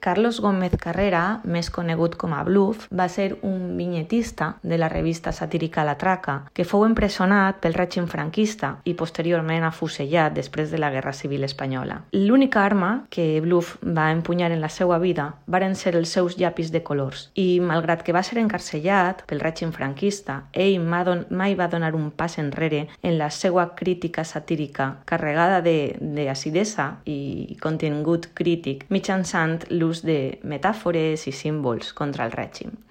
Carlos Gómez Carrera, més conegut com a Bluff, va ser un vinyetista de la revista satírica La Traca, que fou empresonat pel règim franquista i posteriorment afusellat després de la Guerra Civil Espanyola. L'única arma que Bluff va empunyar en la seva vida varen ser els seus llapis de colors i, malgrat que va ser encarcellat pel règim franquista, ell mai va donar un pas enrere en la seva crítica satírica carregada d'acidesa i contingut crític mitjançant l'ús de metàfores i símbols contra el règim.